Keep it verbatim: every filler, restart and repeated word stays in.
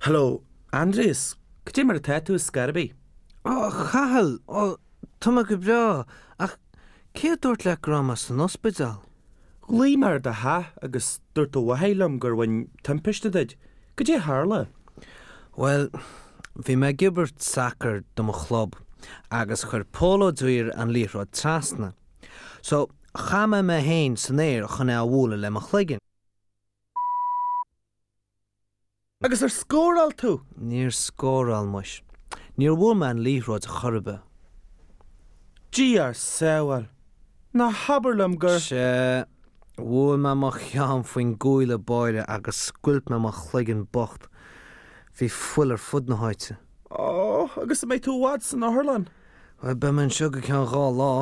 Hello, Aindrias, cad é mar atá tú ar scor ar bith? Ó, a Chathail, ó, tá mé go breá, ach cé a dúirt leat go raibh mé san ospidéal? Ghlaoigh mé ar do theach agus dúirt do mháthair liom gur bhain timpiste duit. Cad é a tharla? Bhuel, bhí mé ag imirt sacair do mo chlub agus chuir Pól Ó Duibhir an liathróid trasna. So, chaith mé mé féin san aer chun é a bhualadh le mo chloigeann. Agus ar scóráil tú? Níor scóráil muis. Níor bhuail mé an liathróid chor ar bith. Dia ár sábháil. Ná habair liom gur. Sea, bhuail mé mo cheann faoin gcuaille báire agus scoilt mé mo chloigeann bocht. Bhí fuil ar fud na háite. Ó, agus an mbeidh tú i bhfad san otharlann? Bhuel, beidh mé anseo go ceann dhá lá.